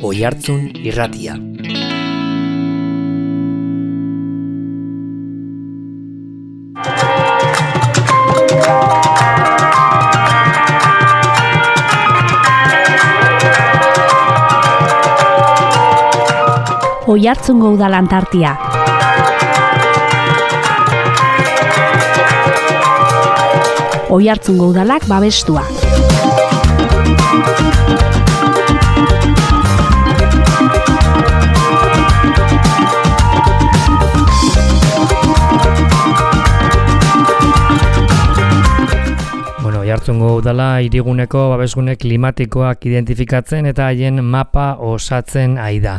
Oihartzun Irratia. Oihartzungo Udal Antartia. Oihartzungo Udalak babestua. Oihartzungo Udala hiriguneko babesgune klimatikoak identifikatzen eta haien mapa osatzen ari da.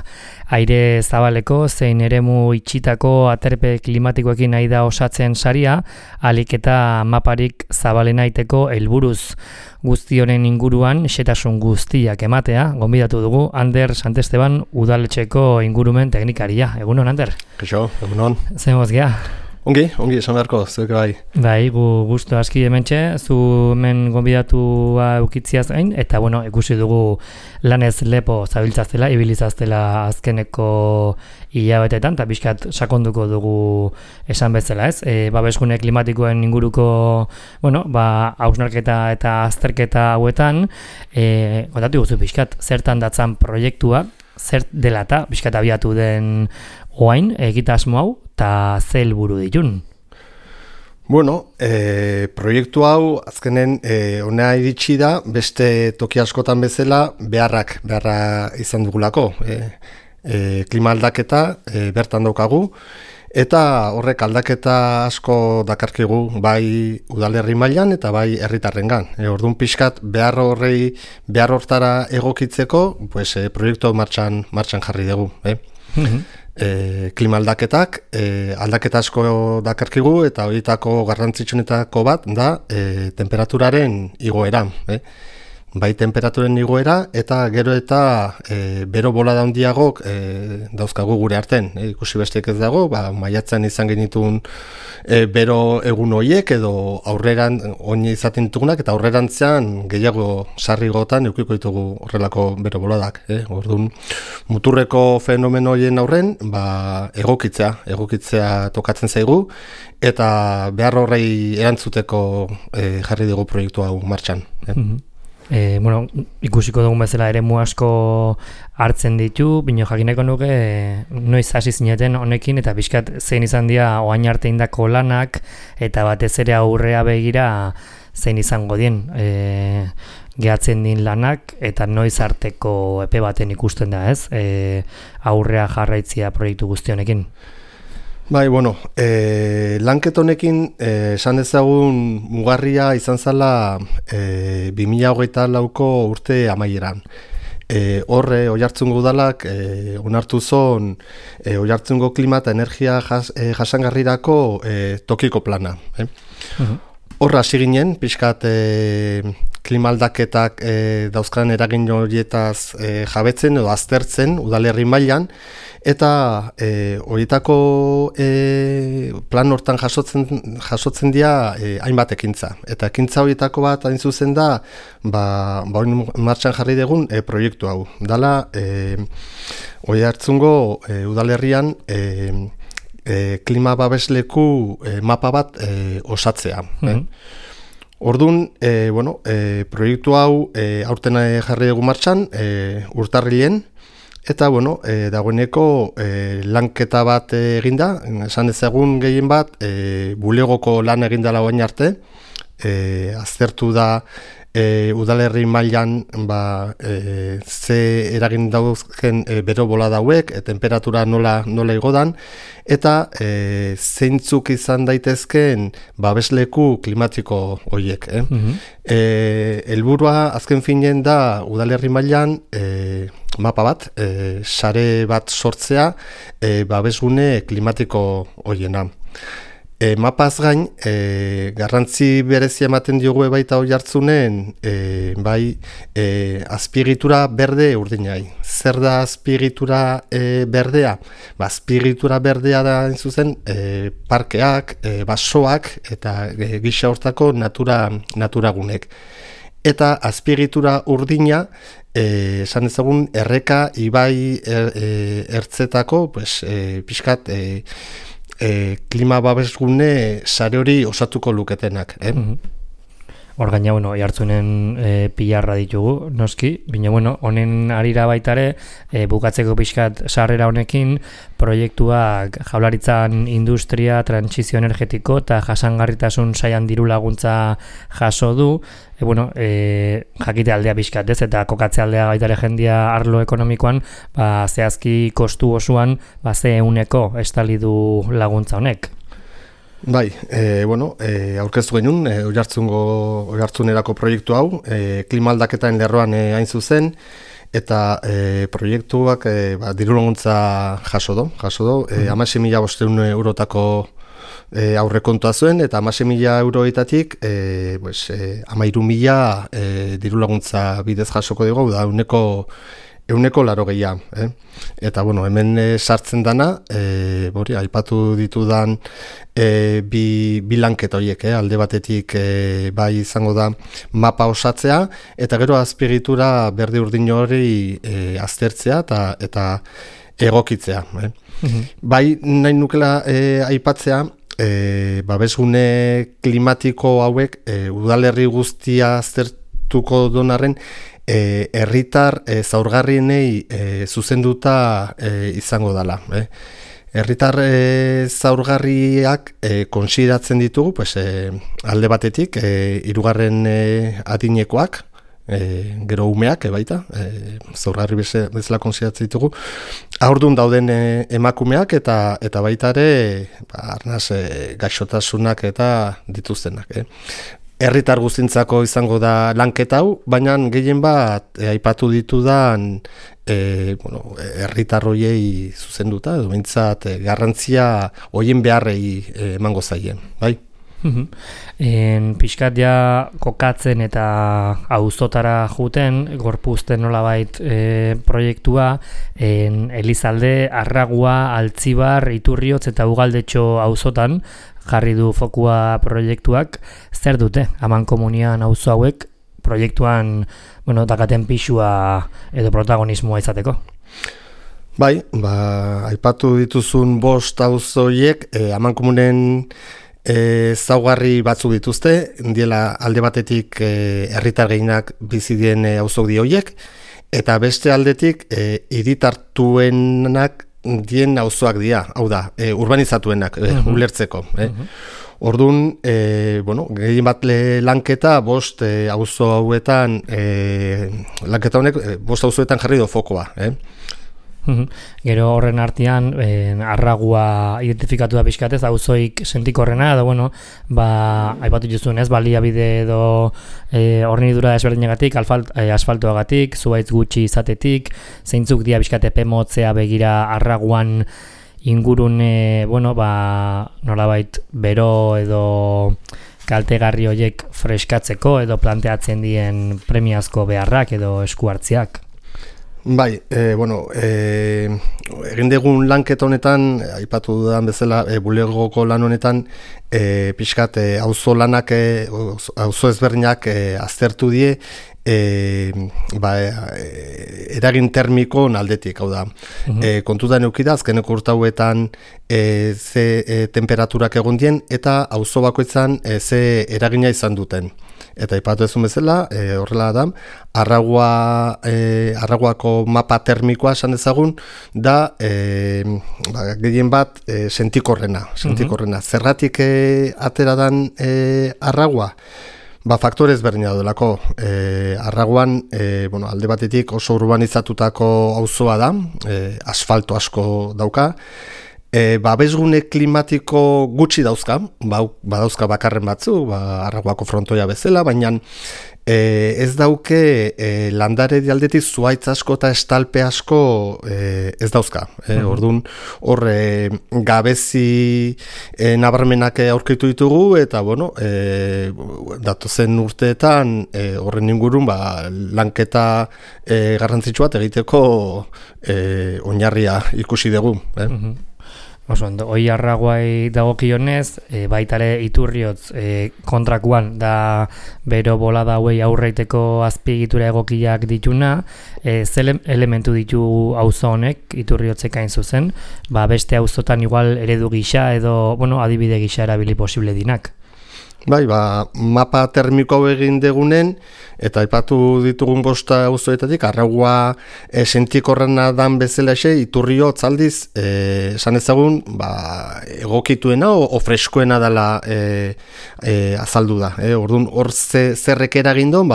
Aire zabaleko zein eremu itxitako aterpe klimatikoekin ari da osatzen saria, ahalik eta maparik zabalenaiteko helburuz. Guzti honen inguruan xehetasun guztiak ematea, gonbidatu dugu Ander Santesteban udaletxeko ingurumen teknikaria. Egunon, Ander? Kaixo, egunon. Zein gozgea? Ongi, esan beharko, zuek bai. Bai, gustu aski hementxe, zu hemen gonbidatua eukitziaz gain, eta bueno, ikusi dugu lanez lepo zabiltzaztela, ibilizaztela azkeneko hilabetetan, eta pixkat sakonduko dugu esan bezala, ez? Babesgune klimatikoen inguruko, bueno, hausnarketa eta azterketa hauetan, kontatu guzu pixkat, zertan datzan proiektua, zer dela eta pixkat abiatu den oain, egitasmo hau, eta ze helburu ditun? Bueno, proiektu hau azkenen hona iritsi da, beste toki askotan bezala beharra izan dugulako. Klima aldaketa bertan daukagu, eta horrek aldaketa asko dakarkigu bai udalerri mailan eta bai herritarrengan. Orduan pixkat behar hortara egokitzeko, proiektu martxan jarri dugu. Klima aldaketak, aldaketa asko dakarkigu eta horietako garrantzitsuenetako bat da temperaturaren igoera. Bai temperaturen igoera eta gero eta bero bolada handiagok dauzkagu gure arten. Ikusi besteik ez dago, maiatzean izan genitun bero egun horiek edo aurreran oine izaten ditugunak eta aurrerantzean gehiago sarrigotan eukiko ditugu horrelako bero boladak. Orduan, muturreko fenomeno horien aurren egokitzea tokatzen zaigu eta behar horrei erantzuteko jarri dugu proiektu hau martxan. Ikusiko dugun bezala eremu asko hartzen ditu, bino jakineko nuke noiz hasi zineten honekin eta pixkat zein izan dira oain arte indako lanak eta batez ere aurrea begira zein izango dien gehatzen din lanak eta noiz arteko epe baten ikusten da, ez? Aurrea jarraitzia proiektu guzti honekin. Bai, lanket honekin esan dezagun mugarria izan zala 2024ko urte amaieran. Horre, Oihartzungo Udalak onartu zon Oihartzungo klima eta energia jasangarrirako tokiko plana. Horra hasi ginen, pixkat klima aldaketak dauzkan eragin horietaz jabetzen edo aztertzen udalerri mailan, eta horietako plan hortan jasotzen dira hainbat ekintza. Eta ekintza horietako bat hain zuzen da, martxan jarri dugun proiektu hau. Dala, Oihartzungo udalerrian klima babesleku mapa bat osatzea. Orduan, proiektu hau aurten jarri dugu martxan, urtarrilen, eta dagoeneko lanketa bat eginda, esan dezagun gehien bat, bulegoko lan egindala oain arte, aztertu da udalerri mailan ze eragin dauzken bero bolada hauek, temperatura nola igodan, eta zeintzuk izan daitezkeen babesleku klimatiko horiek. Helburua azken finean da udalerri mailan mapa bat, sare bat sortzea babesgune klimatiko horiena. Mapaz gain, garrantzi berezia ematen diogu baita Oihartzunen, azpiegitura berde urdinai. Zer da azpiegitura berdea? Azpiegitura berdea da zuzen parkeak, basoak eta gisa hortako naturagunek. Eta azpiegitura urdina esan ezagun erreka ibai ertzetako pues, pixkat klima babesgune sare hori osatuko luketenak. Hor gaina, jartzunen pilarra ditugu, noski, baina, honen arira baitare, bukatzeko pixkat sarrera honekin, proiektuak Jaurlaritzan industria, trantsizio energetiko eta jasangarritasun saian diru laguntza jaso du, jakite aldea pixkat, ez, eta kokatze aldea baitare jendia arlo ekonomikoan, zehazki kostu osoan, ze euneko estali du laguntza honek. Bai, aurkeztu genuen, oihartzunerako proiektu hau, klima aldaketaren lerroan hain zuzen, eta proiektuak diru laguntza jaso do. 16.500 eurotako aurrekontua zuen, eta 16.000 euroetatik 13.000 diru laguntza bidez jasoko dugu, da euneko 80. Eta, hemen sartzen dana, aipatu ditudan bi lanketa horiek, alde batetik bai izango da mapa osatzea, eta gero azpiegitura berde urdin hori aztertzea eta egokitzea. Bai nahi nukela aipatzea, babesgune klimatiko hauek udalerri guztia aztertuko donarren, herritar zaurgarrienei zuzenduta izango dela. Herritar zaurgarriak konsideratzen ditugu, alde batetik, 3. adinekoak, gero umeak baita, zaurgarri bezala konsideratzen ditugu, haurdun dauden emakumeak eta baita ere arnaz gaixotasunak eta dituztenak. Herritar guztintzako izango da lanketa hau, baina gehien bat aipatu ditudan herritar hoiei zuzenduta, edo behintzat garrantzia hoien beharrei emango zaien, bai? Pixkat ja kokatzen eta auzotara juten, gorpuzten nolabait proiektua, Elizalde, Arragua, Altzibar, Iturriotz eta Ugaldetxo auzotan jarri du fokua proiektuak. Zer dute, amankomunian auzo hauek proiektuan dakaten pixua edo protagonismoa izateko? Bai, aipatu dituzun 5 auzoiek amankomunen zaugarri batzuk dituzte, diela alde batetik herritar gehienak bizi dien auzok di horiek, eta beste aldetik hiritartuenak dien auzoak dira, hau da, urbanizatuenak, ulertzeko. Orduan, gehien bat lanketa, 5 auzo hauetan, lanketa honek 5 auzoetan jarri do fokoa. Gero horren artean, Arragua identifikatu da pixkatez, auzoik sentikorrena, edo, aipatu juzun ez, baliabide edo hornidura ezberdinagatik, asfaltoagatik, zuaitz gutxi izatetik, zeintzuk dia pixkate pemotzea begira Arraguan ingurune, nolabait bero edo kaltegarri horiek freskatzeko edo planteatzen dien premiazko beharrak edo eskuartziak. Bai, egin dugun lanketa honetan, aipatu dudan bezala, bulegoko lan honetan, pixkat auzo lanak, auzo ezberdinak aztertu die, eragin termiko aldetik, hau da. Kontutan eukida, azkeneko urtauetan ze temperaturak egon dien, eta auzo bakoitzan ze eragina izan duten. Eta aipatu ezun bezala, horrela da, Arraguako mapa termikoa esan dezagun, da gehien bat sentikorrena. Zergatik atera dan Arragua? Faktore ezberdina delako. Arraguan, alde batetik oso urbanizatutako auzoa da, asfalto asko dauka, babesgune klimatiko gutxi dauzka, badauzka bakarren batzu, Arraguako frontoia bezala, baina ez dauke landare aldetik zuaitz asko eta estalpe asko ez dauzka. Orduan, hor gabezi nabarmenak aurkitu ditugu, eta datozen urteetan horren ingurun lanketa garrantzitsu bat egiteko oinarria ikusi dugu. Oso ondo, hoi arraguai dagokionez, baitare iturriotz kontrakuan da bero bolada hauei aurreiteko azpiegitura egokiak dituna, ze elementu ditu auzo honek iturriotzek hain zuzen, beste auzotan igual eredu gisa edo, adibide gisa erabili posible dinak. Bai, mapa termiko hau egin degunen, eta aipatu ditugun bosta auzoetatik arraugua sentikorrena dan bezala iturriotz aldiz, esan ezagun, egokituena o freskoena dela azaldu da. Orduan, hor zerrek eragin duen,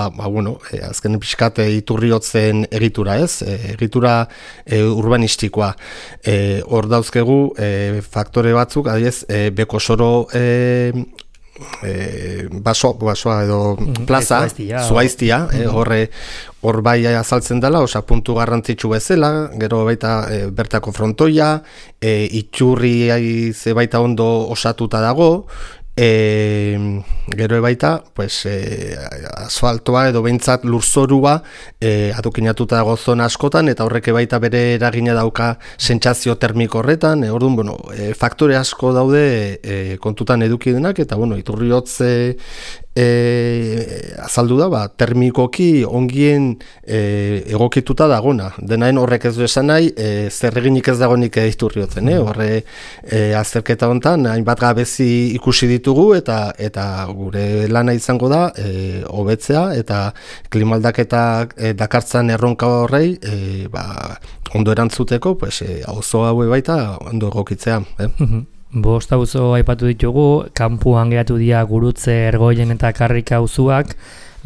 azken pixkat iturriotzen egitura, ez? Egitura urbanistikoa. Hor dauzkegu faktore batzuk, adiez, Bekosoro basoa edo plaza, Zuaiztia, hor bai azaltzen dela, puntu garrantzitsu bezala, gero baita bertako frontoia, itxurri ze baita ondo osatuta dago, gero baita asfaltoa edo behintzat lurzorua adokinatuta dago zona askotan, eta horrek baita bere eragina dauka sentsazio termiko horretan. Orduan, faktore asko daude kontutan eduki denak, eta iturriotz azaldu da, termikoki ongien egokituta dagona. Denaen horrek ez du esan nahi, zer eginik ez dagonik iturriotzen. Horre azterketa honetan, hainbat gabezi ikusi ditugu, eta gure lana izango da, hobetzea, eta klimaldaketak dakartzan erronka horrei, ondo erantzuteko, auzo haue baita ondo egokitzea. Bost auzo aipatu ditugu, kanpuan geratu dira Gurutze, Ergoien eta Karrika auzoak,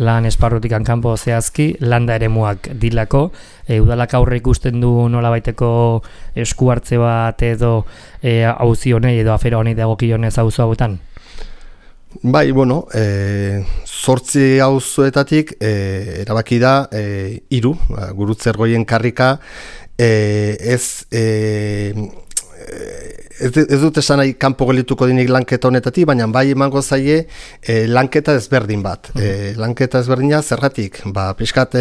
lan esparrutikan kanpo zehazki, landa eremuak dilako, udalak aurre ikusten du nolabaiteko esku hartze bat edo auzi honei edo afera honei dagokionez auzo hauetan? Bai, 8 auzoetatik erabaki da 3, Gurutze, Ergoien, Karrika, ez dut esan nahi kanpo gelituko dinik lanketa honetatik, baina bai emango zaie lanketa ezberdin bat. Lanketa ezberdina zergatik? Pixkat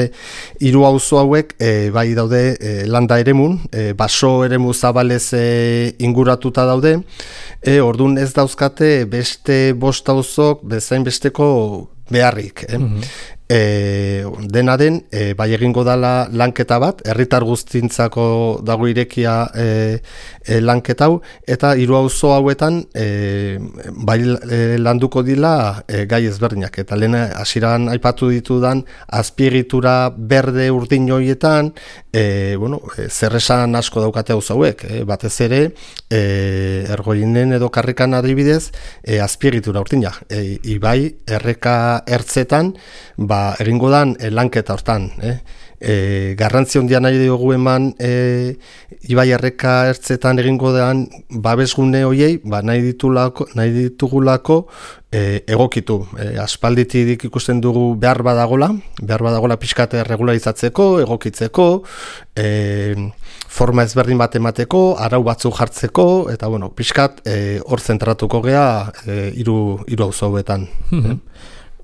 3 auzo hauek bai daude landa eremun, baso eremu zabalez inguratuta daude, orduan ez dauzkate beste 5 auzok bezain besteko beharrik. Dena den, bai egingo dala lanketa bat, herritar guztintzako dago irekia lanketa hau, eta 3 auzo hauetan bai landuko dila gai ezberdinak. Eta lehen hasieran aipatu ditudan azpiegitura berde urdin horietan, zerresan asko daukate auzo hauek, batez ere Ergoinen edo Karrikan adibidez azpiegitura urdina. Ibai erreka ertzetan egingo dan lanketa hortan. Garrantzi handia nahi dugu eman ibai erreka ertzetan egingo dan babesgune hoiei nahi ditugulako egokitu. Aspalditik ikusten dugu behar badagola pixkate regularizatzeko, egokitzeko, forma ezberdin bat emateko, arau batzuk jartzeko, eta pixkat hor zentratuko gea 3 auzo hauetan.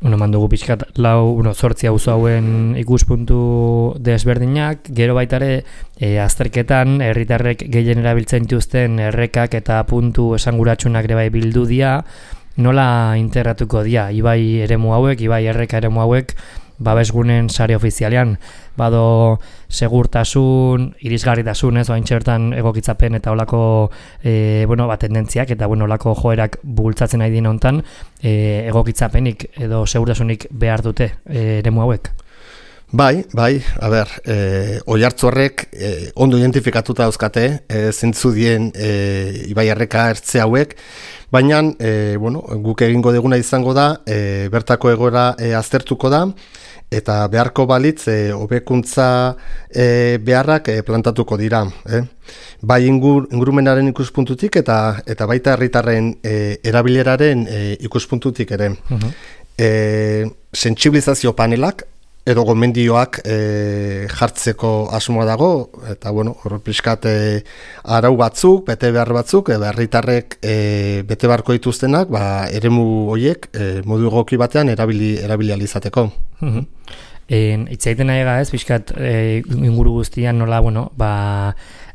Mandugu pixkat 8 auzo hauen ikuspuntu desberdinak, gero baitare azterketan herritarrek gehien erabiltzen dituzten errekak eta puntu esanguratsunak ere bai bildu dira, nola integratuko dira ibai eremu hauek, ibai erreka eremu hauek babesgunen sare ofizialean, bado segurtasun, irisgarritasun, oain txertan egokitzapen eta olako tendentziak eta olako joerak bultzatzen nahi dien hontan, egokitzapenik edo segurtasunik behar dute eremu hauek? Bai, oihartzorrek ondo identifikatuta dauzkate, zintzu dien ibai erreka ertze hauek, baina guk egingo deguna izango da, bertako egoera aztertuko da, eta beharko balitz hobekuntza beharrak plantatuko dira. Bai ingurumenaren ikuspuntutik eta baita herritarren erabileraren ikuspuntutik ere. Sentsibilizazio panelak edo gomendioak jartzeko asmoa dago, eta hor pixkat arau batzuk, bete behar batzuk, herritarrek bete beharko dituztenak, eremu horiek modu egoki batean erabili alizateko. Itzaiten nahi ez, pixkat inguru guztian nola,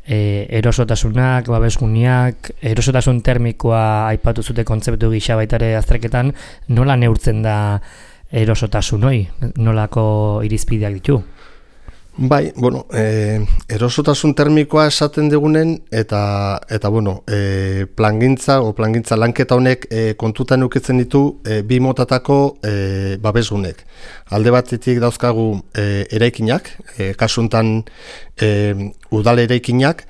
erosotasunak, babesguniak, erosotasun termikoa aipatu zute kontzeptu gisa baitare azterketan, nola neurtzen da erosotasun hori? Nolako irizpideak ditu? Bai, bueno, erosotasun termikoa esaten dugunen eta bueno, plangintza lanketa honek kontutan ukitzen ditu bi motatako babesgunek. Alde batetik dauzkagu eraikinak, kasuntan udal eraikinak,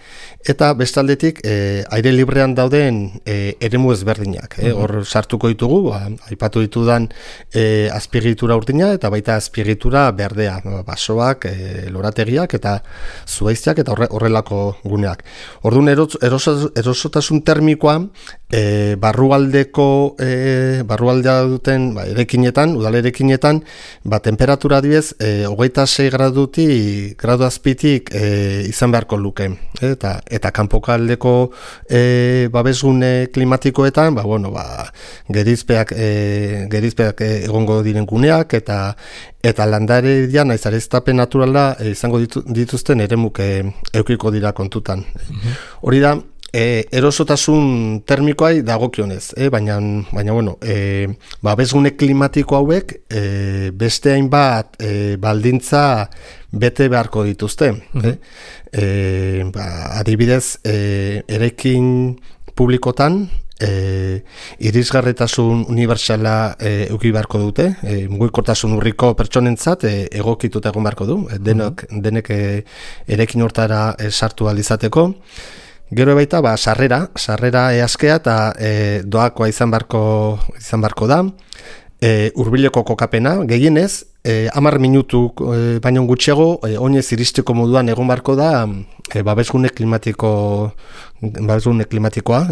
eta bestaldetik aire librean dauden eremu ezberdinak. Hor sartuko ditugu, aipatu ditudan azpiegitura urdina eta baita azpiegitura berdea, basoak, lorategiak eta zuhaiztiak eta horrelako guneak. Orduan erosotasun termikoa barrualdea duten eraikinetan, udal eraikinetan, temperatura adibidez 26 gradu azpitik izan beharko luke. Eta kanpokaldeko babesgune klimatikoetan, gerizpeak egongo diren guneak eta landaredia naiz areztapen naturala izango dituzten eremuk edukiko dira kontutan. Hori da erosotasun termikoai dagokionez, baina bueno, babesgune klimatiko hauek beste hainbat baldintza bete beharko dituzte. Adibidez, eraikin publikotan irisgarritasun unibertsala eduki beharko dute, mugikortasun urriko pertsonentzat egokituta egon beharko du, denek eraikin hortara sartu ahal izateko. Gero baita, sarrera easkea eta doakoa izan beharko da. Hurbileko kokapena, gehienez, 10 minutu baino gutxiago, oinez iristeko moduan egon beharko da babesgune klimatikoa,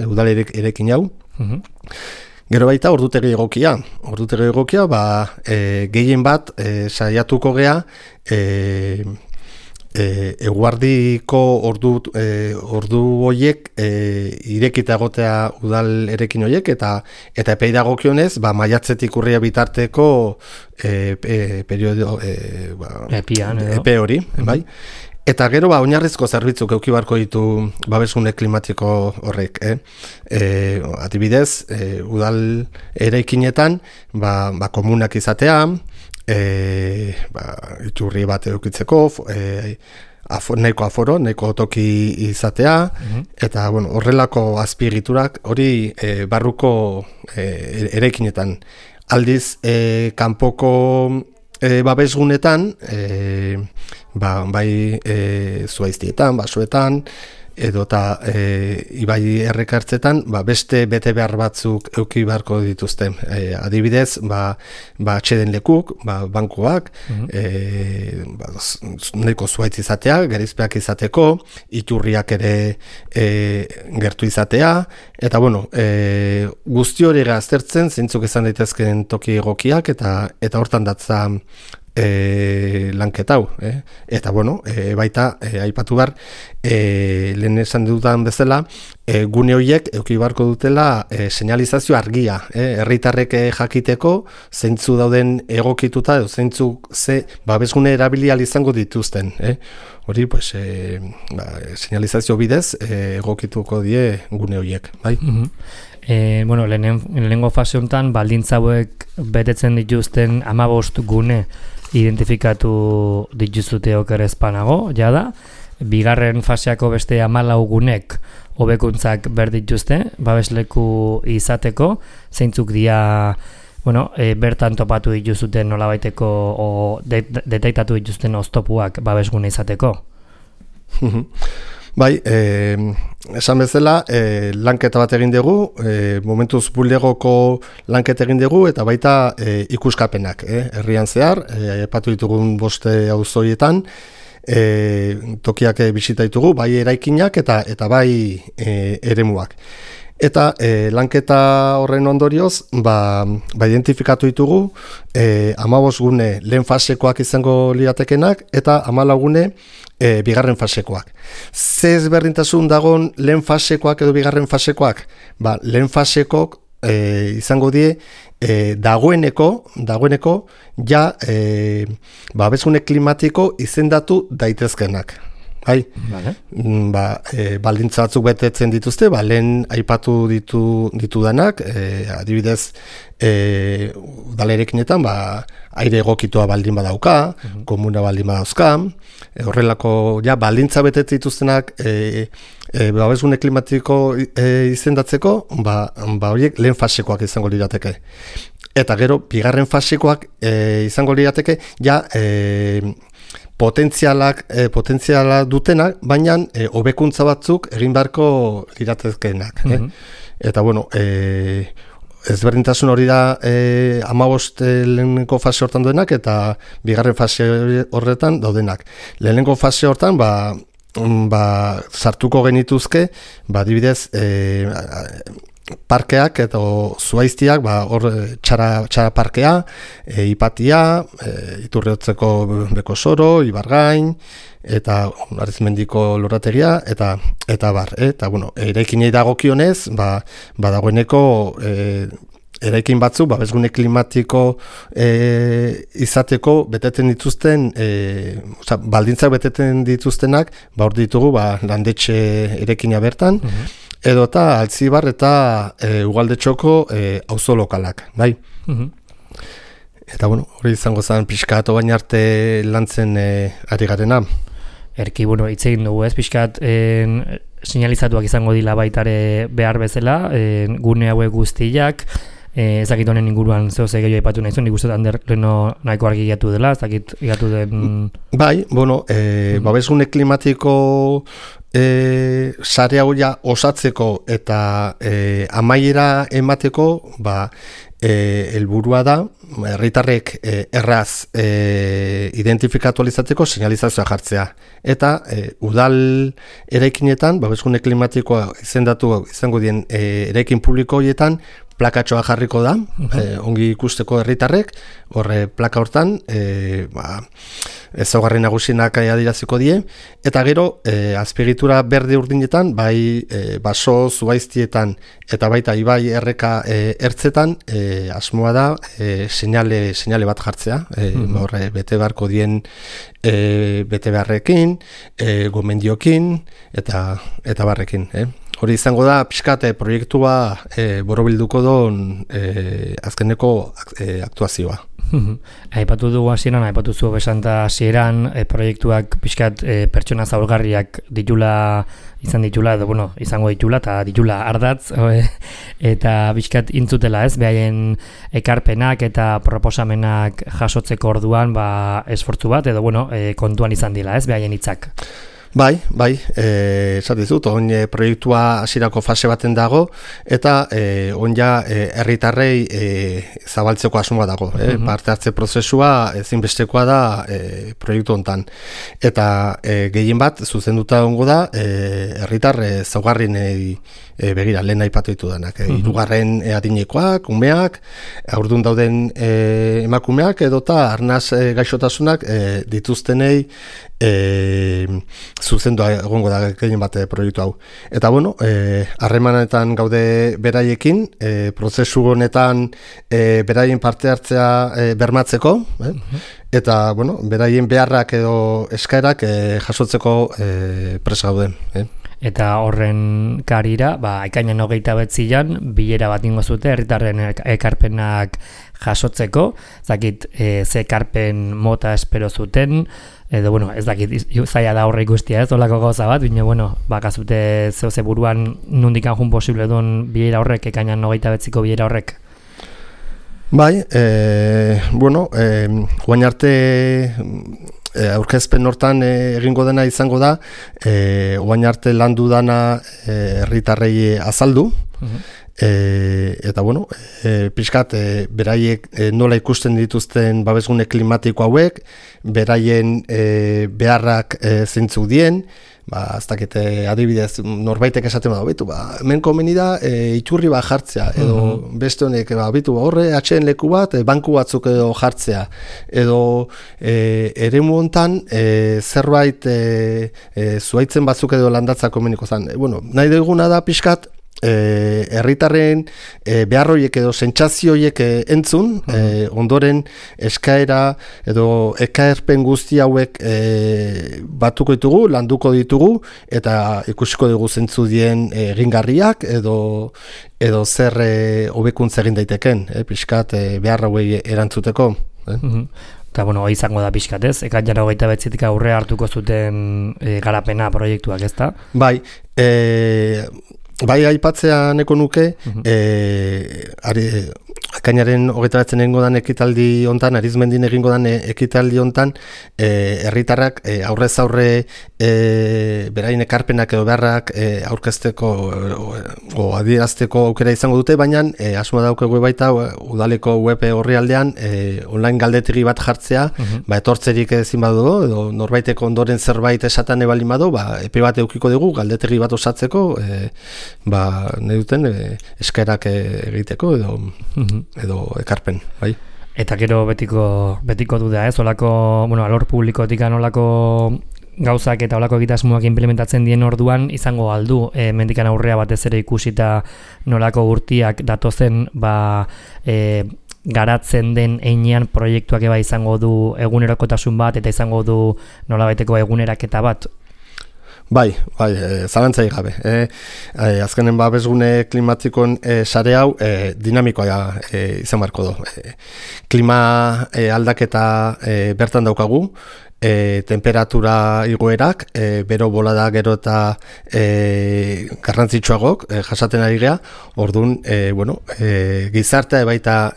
udal eraikin hau. Gero baita, ordutegi egokia, gehien bat saiatuko gea, eguardiko ordu horiek irekita egotea udal eraikin horiek eta epei dagokionez maiatzetik urria bitarteko epe hori, bai? Eta gero oinarrizko zerbitzuk eduki beharko ditu babesgune klimatiko horrek, adibidez, udal eraikinetan komunak izatea, iturri bat edukitzeko, nahiko toki izatea, eta horrelako azpiegiturak hori barruko eraikinetan. Aldiz, kanpoko babesgunetan, bai zuhaiztietan, basoetan, edota ibai errekartzetan, beste bete behar batzuk eduki beharko dituzte. Adibidez, atxeden lekuk, bankuak, nahiko zuhaitz izatea, gerizpeak izateko, iturriak ere gertu izatea, eta guzti hori aztertzen, zeintzuk izan daitezkeen toki egokiak, eta hortan datza lanketau, eta baita aipatu behar lehen esan dudan bezala gune horiek eduki beharko dutela señalizazio argia, herritarrek jakiteko zeintzu dauden egokituta edo zeintzuk babesgune erabili ahal izango dituzten, hori señalizazio bidez egokituko die gune horiek, bai? Lehenengo fase honetan baldintza hauek betetzen dituzten 15 gune identifikatu dituzute okerezpanago, jada. Bigarren faseako beste 14 gunek hobekuntzak berdituzte, babesleku izateko, zeintzuk dira bertan topatu dituzuten nolabaiteko detektatu dituzten oztopuak babesgune izateko. Bai, esan bezala, lanketa bat egin dugu, momentuz bulegoko lanketa egin dugu, eta baita ikuskapenak, herrian zehar, epatu ditugun 5 auzoietan, tokiak bisita ditugu, bai eraikinak eta bai eremuak. Eta lanketa horren ondorioz, identifikatu ditugu 15 gune lehen fasekoak izango liratekenak eta 14 gune bigarren fasekoak. Ze ezberdintasun dagon lehen fasekoak edo bigarren fasekoak? Lehen fasekok izango die dagoeneko ja babesgune klimatiko izendatu daitezkenak. bai? Vale. Baldintza batzuk betetzen dituzte, lehen aipatu ditudanak, adibidez, udalerekinetan, aire egokitua baldin badauka, komuna baldin badauzka, horrelako, baldintza betetzen dituztenak, babesgune klimatiko izendatzeko, horiek lehen fasekoak izango lirateke. Eta gero, bigarren fasekoak izango lirateke, potentziala dutenak, baina hobekuntza batzuk egin beharko liratezkeenak. Eta, ezberdintasun hori da 15 lehenengo fase hortan duenak, eta bigarren fase horretan daudenak. Lehenengo fase hortan, sartuko genituzke, adibidez, parkeak eta zuhaiztiak, hor txara parkea, Ipatia, Iturriotzeko Bekosoro, Ibargain, eta Arizmendiko lorategia, eta bar. Eta, eraikinei dagokionez, dagoeneko eraikin batzu, babesgune klimatiko izateko beteten dituzten, baldintzak beteten dituztenak, hor ditugu landetxe eraikina bertan, edo eta Altzibar eta Ugaldetxoko auzo lokalak, bai? Eta, hori izango zen pixkat obain arte lantzen ari garena. Erki, hitz egin dugu, pixkat sinalizatuak izango dila baitare behar bezala, gune hauek guztiak, ezakit honen inguruan zeo ze gehiago aipatu nahi zuen, nik uste Ander leno nahiko argi gatu dela, ezakit gatu den... Bai, babesgune klimatiko sare hau osatzeko eta amaiera emateko, helburua da, herritarrek erraz identifikatu alizateko señalizazioa jartzea. Eta udal eraikinetan, babesgune klimatikoa izendatu izango dien eraikin publiko horietan, plakatxoa jarriko da, ongi ikusteko herritarrek, horre plaka hortan, ezaugarri nagusinak adiraziko die, eta gero, azpiegitura berde urdinetan, bai baso zuhaiztietan, eta baita ibai erreka ertzetan, asmoa da, seinale bat jartzea, horre bete beharko dien bete beharrekin, gomendiokin, eta barrekin, Hori izango da, pixkat proiektua borobilduko don azkeneko aktuazioa. Aipatu dugu hasieran, aipatu zu besanta hasieran, proiektuak pixkat pertsona zaurgarriak izan ditula, edo izango ditula, eta ditula ardatz, eta pixkat intzutela behaien ekarpenak eta proposamenak jasotzeko orduan esfortzu bat, edo kontuan izan dila, behaien hitzak. Bai, esatizut, proiektua hasierako fase baten dago, eta herritarrei zabaltzeko asmoa dago. Parte hartze prozesua ezinbestekoa da proiektu hontan. Eta gehien bat, zuzenduta ongo da, herritar zaugarrinei begira, lehen aipatu ditu denak. Hirugarren adinekoak, umeak, haurdun dauden emakumeak, edota arnaz gaixotasunak dituztenei zuzendua egongo da gehien bat proiektu hau. Eta harremanetan gaude beraiekin, prozesu honetan beraien parte hartzea bermatzeko, eta beraien beharrak edo eskaerak jasotzeko prest gauden. Eta horren karira, ekainan 29an bilera bat ingo zute herritarren ekarpenak jasotzeko, zakit ze ekarpen mota espero zuten, edo, ez dakit, zaila da horre ikustia, olako gauza bat, baina, bakazute zeuze buruan nundikan jun posible duen bilera horrek, ekainan 29ko bilera horrek? Bai, guain arte aurkezpen hortan egingo dena izango da, guain arte landu dana herritarrei azaldu, eta pixkat beraiek nola ikusten dituzten babesgune klimatiko hauek, beraien beharrak zeintzuk dien, ez dakit adibidez norbaitek esaten bada, hemen komeni da iturri bat jartzea, edo beste honek, horre atxeen leku bat, banku batzuk edo jartzea, edo eremu hontan zerbait zuhaitzen batzuk edo landatzak komeniko zen. Nahi duguna da pixkat, herritarren behar horiek edo sentsazio horiek entzun, ondoren eskaera edo ekarpen guzti hauek batuko ditugu, landuko ditugu, eta ikusiko dugu zentzu dien egingarriak edo zer hobekuntza egin daiteken, pixkat behar hauei erantzuteko. Eta, izango da pixkat, ez? Ekainaren 29 aurre hartuko zuten garapena proiektuak, ez da? Bai, aipatzea neko nuke, ekainaren 29 egingo dan ekitaldi hontan, Arizmendin egingo dan ekitaldi hontan, herritarrak aurrez aurre beraien ekarpenak edo beharrak aurkezteko o adierazteko aukera izango dute, baina asmoa daukegu baita udaleko web orrialdean online galdetegi bat jartzea, etortzerik ezin badu edo norbaiteko ondoren zerbait esaten ebalin badu, epe bat edukiko dugu galdetegi bat osatzeko, nahi duten eskaerak egiteko edo ekarpen, bai. Eta gero betiko duda, ez? Olako, alor publikotik olako gauzak eta olako egitasmoak implementatzen dien orduan izango aldu, mendikan aurrea batez ere ikusita nolako urtiak datozen, garatzen den heinean proiektuak eba izango du egunerokotasun bat eta izango du nolabaiteko eguneraketa bat. Bai, zalantzai gabe. Azkenen babesgune klimatikoen sare hau dinamikoa izan barko du. Klima aldaketa bertan daukagu, temperatura igoerak, bero bolada gero eta garrantzitsuagok jasaten ari gea, orduan, gizartea baita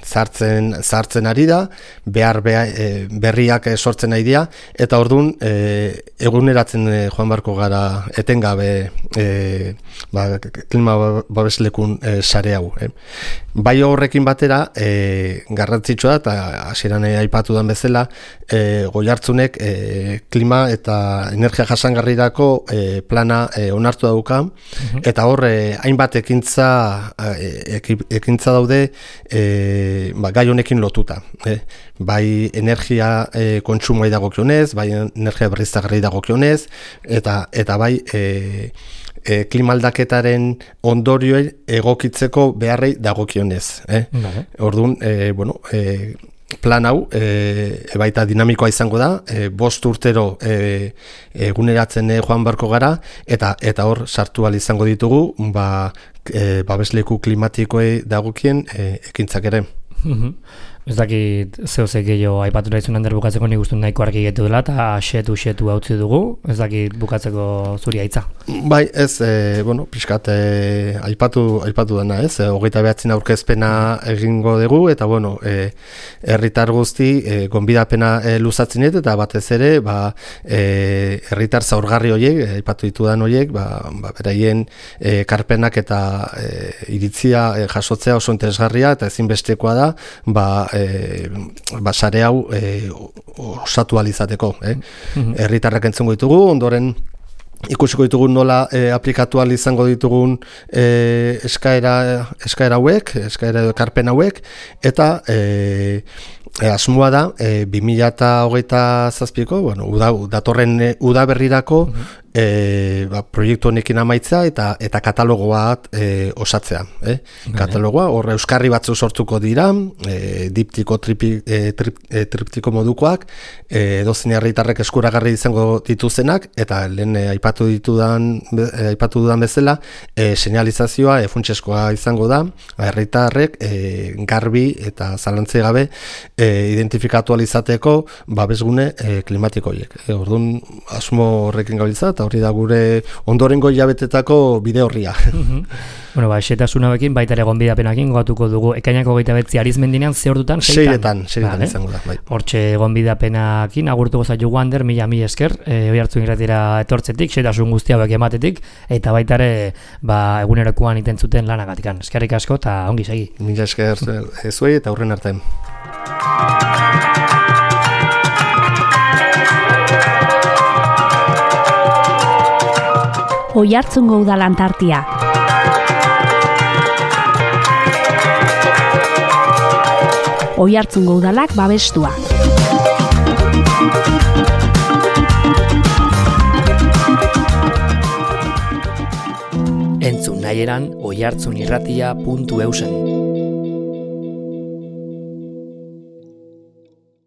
zartzen ari da, berriak sortzen ari dira, eta orduan eguneratzen joan barko gara etengabe klima babeslekun sare hau. Bai horrekin batera, garrantzitsua eta hasieran aipatu dan bezala, Goiartzunek klima eta energia jasangarrirako plana onartu dauka, eta hor hainbat ekintza daude gai honekin lotuta. Bai energia kontsumoa dagokionez, bai energia berriztagarri dagokionez, eta bai klima aldaketaren ondorioei egokitzeko beharrei dagokionez. Orduan, plan hau, baita dinamikoa izango da, 5 urtero eguneratzen joan barko gara, eta hor sartu ahal izango ditugu, babesleku klimatikoei dagokien ekintzak ere. Ez dakit zeuzek gehiago aipatu nahi zuen bukatzeko nik uste nahiko argi getu dela eta xetu hautzi dugu, ez dakit bukatzeko zuri haitza. Bai, ez, pixkat aipatu dena, ez, 29 aurkezpena egingo dugu, eta herritar guzti gonbidapena luzatzen eta batez ere, herritar zaurgarri horiek, aipatu ditudan horiek, beraien karpenak eta iritzia jasotzea oso interesgarria, eta ezinbestekoa da, sare hau osatu alizateko. Herritarrak entzungo ditugu, ondoren ikusiko ditugun nola aplikatu ahal izango ditugun eskaera hauek, eskaera edo ekarpen hauek, eta asmoa da 2027ko, datorren udaberrirako proiektu honekin amaitza eta katalogo bat osatzea. Katalogoa, hor euskarri batzu sortuko dira, diptiko, triptiko modukoak, edozein herritarrek eskuragarri izango dituzenak, eta lehen aipatu dudan bezala, señalizazioa funtsezkoa izango da, herritarrek garbi eta zalantzai gabe identifikatu ahal izateko babesgune klimatiko horiek. Orduan asmo horrekin gabiltza, eta hori da gure ondorengo hilabetetako bide horria. Xetasunarekin baita ere gonbidapenakin gogatuko dugu ekainako 29 Arizmendinean ze ordutan? 6etan izango da. Hortxe gonbidapenakin agurtuko zaitu Wander, mila esker, Oiartzun irratira etortzetik, xetasun guzti hauek ematetik, eta baita ere egunerokoan itentzuten lanagatikan. Eskerrik asko eta ongi segi. Mila esker zuei eta aurren arte. Oiartzungo Udal Antartia. Oiartzungo Udalak babestua. Entzun nahieran oihartzunirratia.eusen.